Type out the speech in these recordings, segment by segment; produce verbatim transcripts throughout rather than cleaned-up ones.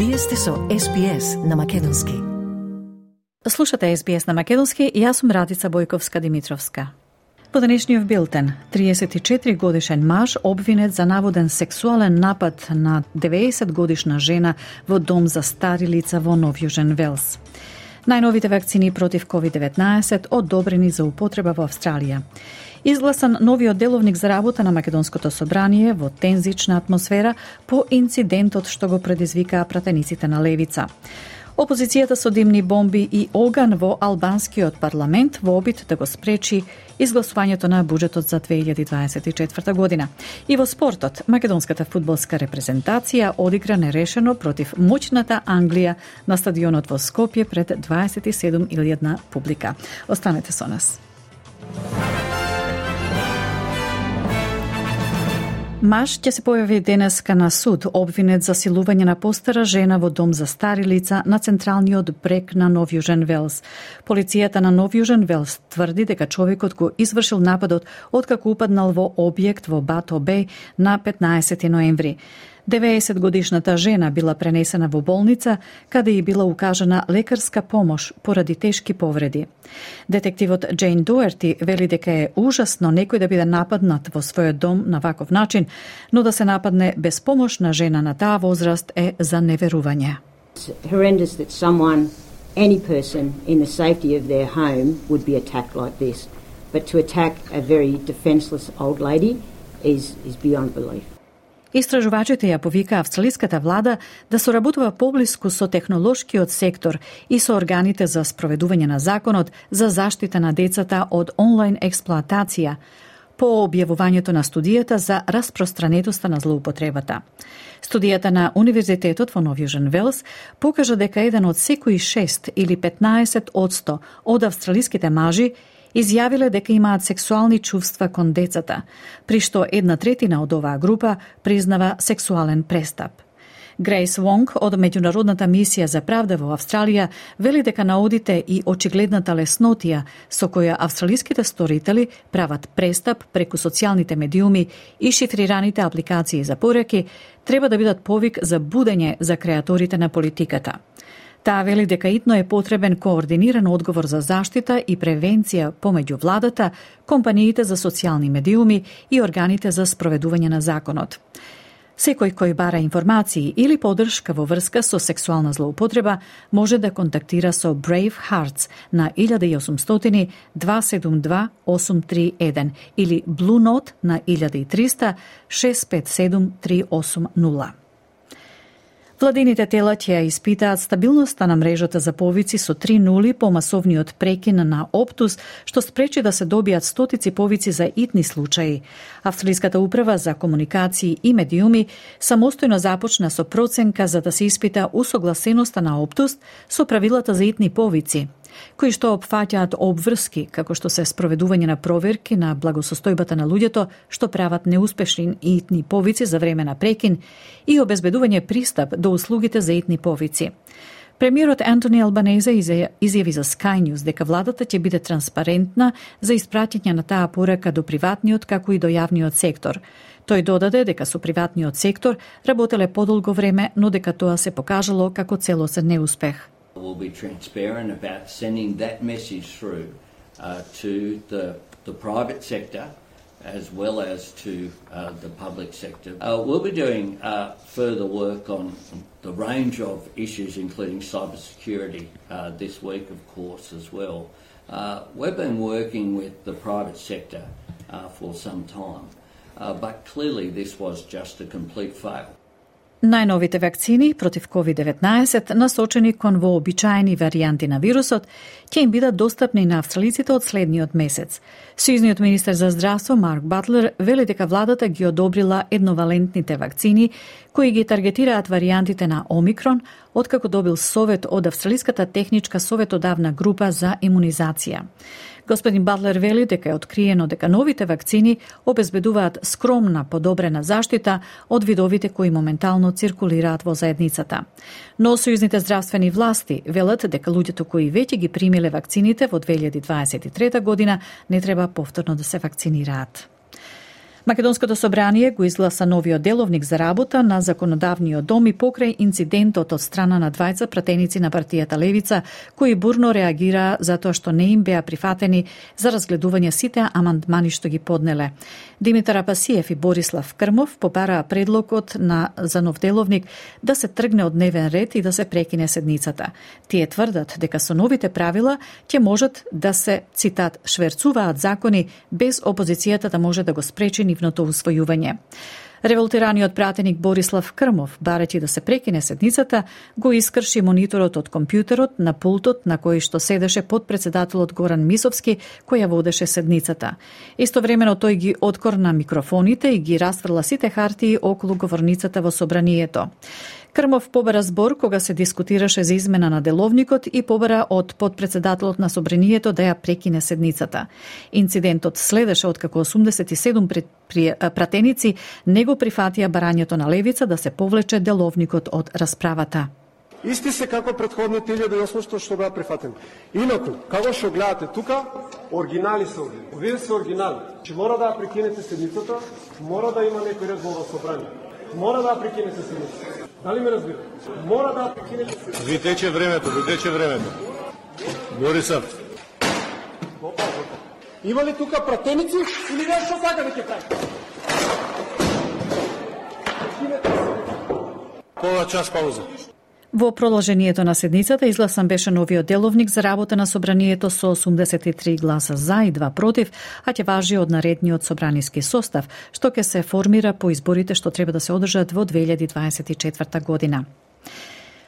Вие сте со Ес Би Ес на македонски. Слушате Ес Би Ес на македонски и јас сум Радица Бојковска-Димитровска. По денешниот билтен, триесет и четири годишен маж обвинет за наводен сексуален напад на деветдесет годишна жена во дом за стари лица во Нов Јужен Велс. Најновите вакцини против ковид деветнаесет одобрени за употреба во Австралија. Изгласан новиот деловник за работа на Македонското собрание во тензична атмосфера по инцидентот што го предизвикаа пратениците на левица. Опозицијата со димни бомби и оган во албанскиот парламент во обид да го спречи изгласувањето на буџетот за две илјади дваесет и четврта година. И во спортот, македонската фудбалска репрезентација одигра нерешено против моќната Англија на стадионот во Скопје пред дваесет и седум илјадна публика. Останете со нас. Маж ќе се појави денеска на суд обвинет за силување на постара жена во дом за стари лица на централниот брег на Нов Јужен Велс. Полицијата на Нов Јужен Велс тврди дека човекот го извршил нападот откако упаднал во објект во Бато Беј на петнаесети ноември. деветдесет годишната жена била пренесена во болница, каде и била укажана лекарска помош поради тешки повреди. Детективот Джейн Дуерти вели дека е ужасно некој да биде нападнат во својот дом на ваков начин, но да се нападне без помош на жена на таа возраст е за неверување. It's horrendous that someone, any person in the safety of their home would be attacked like this. But to attack a very defenseless old lady is, is beyond belief. Истражувачите ја повика австралиската влада да соработува поблиску со технолошкиот сектор и со органите за спроведување на законот за заштита на децата од онлайн експлоатација по објавувањето на студијата за распространетоста на злоупотребата. Студијата на Универзитетот во Нов Јужен Велс покажа дека еден од секои шест или петнаесет одсто од австралиските мажи изјавиле дека имаат сексуални чувства кон децата, при што една третина од оваа група признава сексуален престап. Грейс Вонг од Меѓународната мисија за правда во Австралија вели дека наодите и очигледната леснотија со која австралиските сторители прават престап преку социјалните медиуми и шифрираните апликации за пораки треба да бидат повик за будење за креаторите на политиката. Таа вели дека итно е потребен координиран одговор за заштита и превенција помеѓу владата, компаниите за социјални медиуми и органите за спроведување на законот. Секој кој бара информации или поддршка во врска со сексуална злоупотреба може да контактира со Brave Hearts на илјада и осумстотини дваста седумдесет и два осум три еден или Blue Note на илјада и триста шест пет седум три осум нула. Владините тела ќе испитаат стабилноста на мрежата за повици со три нули по масовниот прекин на Оптус, што спречи да се добијат стотици повици за итни случаи. Австралиската управа за комуникации и медиуми самостојно започна со проценка за да се испита усогласеноста на Оптус со правилата за итни повици, кои што опфаќаат обврски, како што се спроведување на проверки на благосостојбата на луѓето што прават неуспешни итни повици за време на прекин и обезбедување пристап до услугите за итни повици. Премиерот Антони Албанезе изјави за Sky News дека владата ќе биде транспарентна за испраќање на таа порака до приватниот како и до јавниот сектор. Тој додаде дека со приватниот сектор работеле подолго време, но дека тоа се покажало како целосен неуспех. We'll be transparent about sending that message through uh, to the, the private sector as well as to uh, the public sector. Uh, we'll be doing uh, further work on the range of issues, including cybersecurity, uh, this week, of course, as well. Uh, we've been working with the private sector uh, for some time, uh, but clearly this was just a complete fail. Најновите вакцини против ковид деветнаесет, насочени кон вообичаени варијанти на вирусот, ќе им бидат достапни на австралиците од следниот месец. Сојузниот министер за здравство Марк Батлер вели дека владата ги одобрила едновалентните вакцини кои ги таргетираат варијантите на Омикрон, откако добил совет од Австралиската техничка советодавна група за имунизација. Господин Батлер вели дека е откриено дека новите вакцини обезбедуваат скромна подобрена заштита од видовите кои моментално циркулираат во заедницата. Но сојузните здравствени власти велат дека луѓето кои веќе ги примиле вакцините во две илјади дваесет и трета година не треба повторно да се вакцинираат. Македонското собрание го изгласа новиот деловник за работа на законодавниот дом и покрај инцидентот од страна на двајца пратеници на партијата Левица, кои бурно реагираа затоа што не им беа прифатени за разгледување сите амандмани што ги поднеле. Димитар Апасиев и Борислав Крмов побараа предлогот на за нов деловник да се тргне од дневен ред и да се прекине седницата. Тие тврдат дека со новите правила ќе можат да се, цитат, шверцуваат закони без опозицијата да може да го спречи нивното усвојување. Револтираниот пратеник Борислав Крмов, барајќи да се прекине седницата, го искрши мониторот од компјутерот на пултот на кој што седеше подпредседателот Горан Мисовски, кој ја водеше седницата. Истовремено тој ги откорна микрофоните и ги расфрла сите хартии околу говорницата во собранието. Крмов побара збор кога се дискутираше за измена на деловникот и побара од подпредседателот на собранието да ја прекине седницата. Инцидентот следеше откако осумдесет и седум пратеници не го прифатија барањето на Левица да се повлече деловникот од расправата. Исти се како претходните илјада и осумстотини што беа прифатени. Инаку, како што гледате тука, оригинали се овие. Овие се оригинали. Че мора да прекинете седницата, мора да има некој ред во собрание. Мора да прекинете седницата. Дали ме разбирате? Мора да прекинете седницата. Ви тече времето, ви тече времето. Борисов. Има ли тука пратеници или не што сака да ќе прави? Пола час пауза. Во продолжението на седницата изгласан беше новиот деловник за работа на собранието со осумдесет и три гласа за и два против, а ќе важи од наредниот собраниски состав, што ќе се формира по изборите што треба да се одржат во две илјади дваесет и четврта година.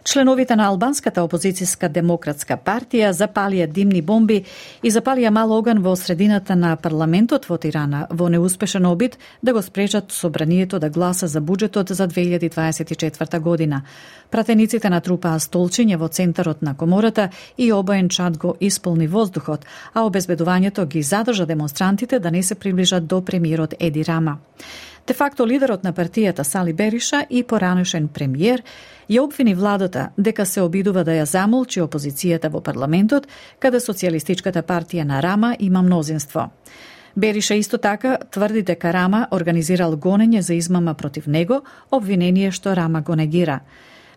Членовите на албанската опозицијска демократска партија запалија димни бомби и запалија мал оган во средината на парламентот во Тирана во неуспешен обид да го спречат собранието да гласа за буџетот за две илјади дваесет и четврта година. Пратениците натрупаа столчиња во центарот на комората и обоен чад го исполни воздухот, а обезбедувањето ги задржа демонстрантите да не се приближат до премиерот Еди Рама. Де факто лидерот на партијата Сали Бериша и поранешен премиер ја обвини владата дека се обидува да ја замолчи опозицијата во парламентот, каде Социјалистичката партија на Рама има мнозинство. Бериша исто така тврди дека Рама организирал гонење за измама против него, обвинение што Рама го негира.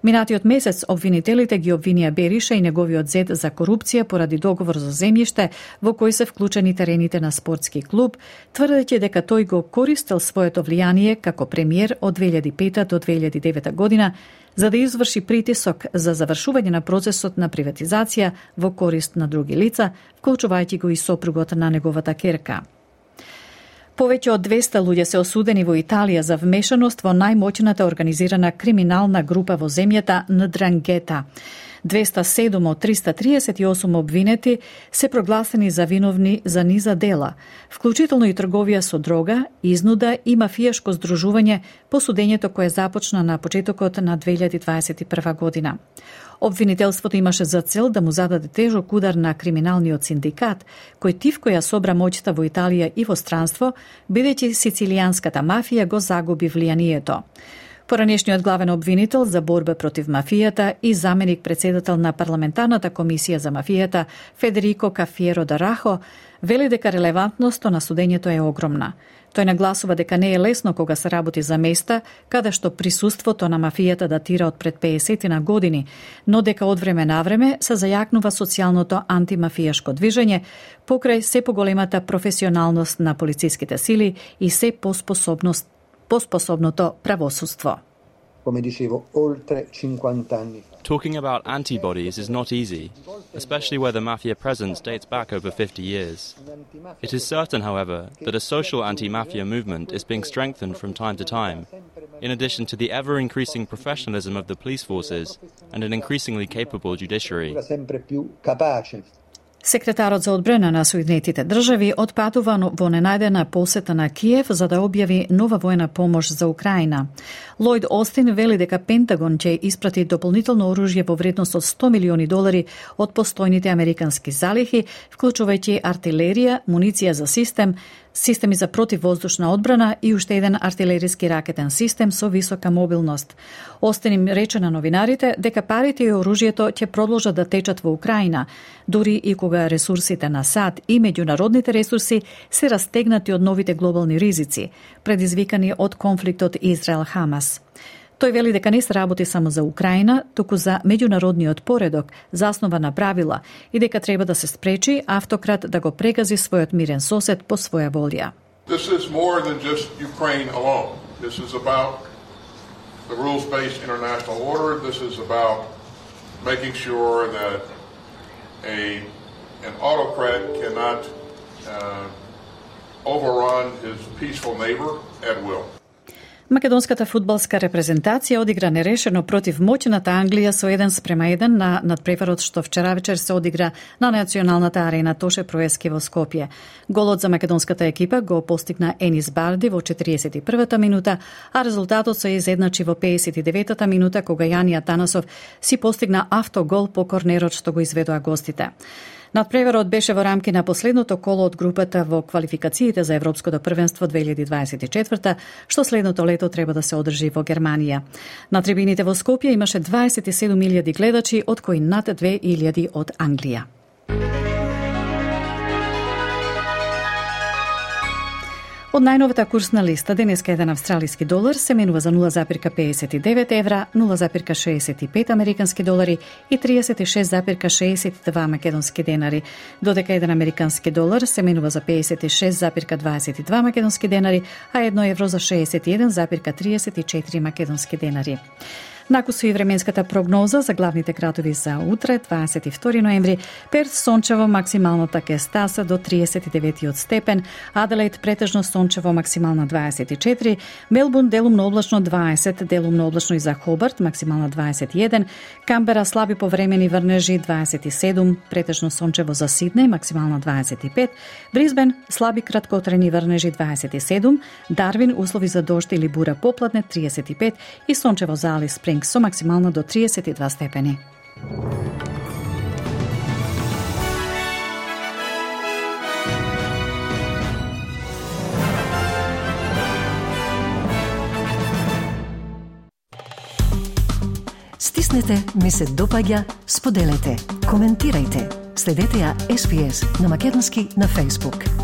Минатиот месец обвинителите ги обвинија Бериша и неговиот зет за корупција поради договор за земјиште во кој се вклучени терените на спортски клуб, тврдејќи дека тој го користел своето влијание како премиер од две илјади и пета до две илјади и девета година за да изврши притисок за завршување на процесот на приватизација во корист на други лица, вклучувајќи го и сопругот на неговата керка. Повеќе од двеста луѓе се осудени во Италија за вмешаност во најмоќната организирана криминална група во земјата Ндранgheta. двеста и седум од триста триесет и осум обвинети се прогласени за виновни за низа дела, вклучително и трговија со дрога, изнуда и мафијашко здружување по судењето кое започна на почетокот на две илјади дваесет и прва година. Обвинителството имаше за цел да му зададе тежок удар на криминалниот синдикат, кој тивко ја собра моќта во Италија и во странство, бидејќи сицилијанската мафија го загуби влијанието. Поранешниот главен обвинител за борба против мафијата и заменик председател на парламентарната комисија за мафијата Федерико Кафиеро Дарахо вели дека релевантноста на судењето е огромна. Тој нагласува дека не е лесно кога се работи за места каде што присуството на мафијата датира од пред пеесет на години, но дека од време на време се зајакнува социјалното антимафијашко движење покрај се поголемата професионалност на полициските сили и се поспособност поспособното правосудство. Come dicevo, oltre cinquanta anni fa. Talking about antibodies is not easy, especially where the mafia presence dates back over fifty years. It is certain, however, that a social anti-mafia movement is being strengthened from time to time, in addition to the ever-increasing professionalism of the police forces and an increasingly capable judiciary. Sempre più capace. Секретарот за одбрана на Соединетите држави отпатува во ненајдена посета на Киев за да објави нова војна помош за Украина. Лојд Остин вели дека Пентагон ќе испрати дополнително оружје во вредност од сто милиони долари од постојните американски залихи, вклучувајќи артилерија, муниција за систем, системи за противвоздушна одбрана и уште еден артилериски ракетен систем со висока мобилност. Остин им рече на новинарите дека парите и оружјето ќе продолжат да течат во Украина, дури и кога ресурсите на САД и меѓународните ресурси се растегнати од новите глобални ризици, предизвикани од конфликтот Израел-Хамас. Тој вели дека не се работи само за Украина, туку за меѓународниот поредок, заснова на правила, и дека треба да се спречи автократ да го прегази својот мирен сосед по своја волја. This is more than just Ukraine alone. This is about the rules-based international order. This is about making sure that a an autocrat cannot uh, overrun his peaceful neighbor at will. Македонската фудбалска репрезентација одигра нерешено против моќната Англија со еден спрема еден на надпреварот што вчера вечер се одигра на националната арена Тоше Проески во Скопје. Голот за македонската екипа го постигна Енис Барди во четириесет и првата минута, а резултатот се изедначи во пеесет и деветата минута кога Јанија Танасов си постигна автогол по корнерот што го изведоа гостите. Надпреварот беше во рамки на последното коло од групата во квалификациите за Европското првенство две илјади дваесет и четврта, што следното лето треба да се одржи во Германија. На трибините во Скопје имаше дваесет и седум илјади гледачи, од кои над две илјади од Англија. Од најновата курсна листа, денеска еден австралиски долар се менува за нула запирка пеесет и девет евра, нула запирка шеесет и пет американски долари и триесет и шест запирка шеесет и два македонски денари, додека еден американски долар се менува за пеесет и шест запирка дваесет и два македонски денари, а едно евро за шеесет и еден запирка триесет и четири македонски денари. Накусу и временската прогноза за главните градови за утре, дваесет и втори ноември, Перт сончево, максималната ќе стаса до триесет и девети степен, Аделаид претежно сончево, максимална дваесет и четири, Мелбурн делумно облачно дваесет, делумно облачно и за Хобарт, максимална дваесет и еден, Камбера слаби повремени врнежи дваесет и седум, претежно сончево за Сиднеј, максимална дваесет и пет, Брисбен слаби краткотрени врнежи дваесет и седум, Дарвин услови за дожд или бура попладне триесет и пет и сончево за Алис Спрингс со максимално до триесет и два степени. Стиснете, ми се допаѓа, споделете, коментирајте. Следете ја Ес Би Ес на македонски на Facebook.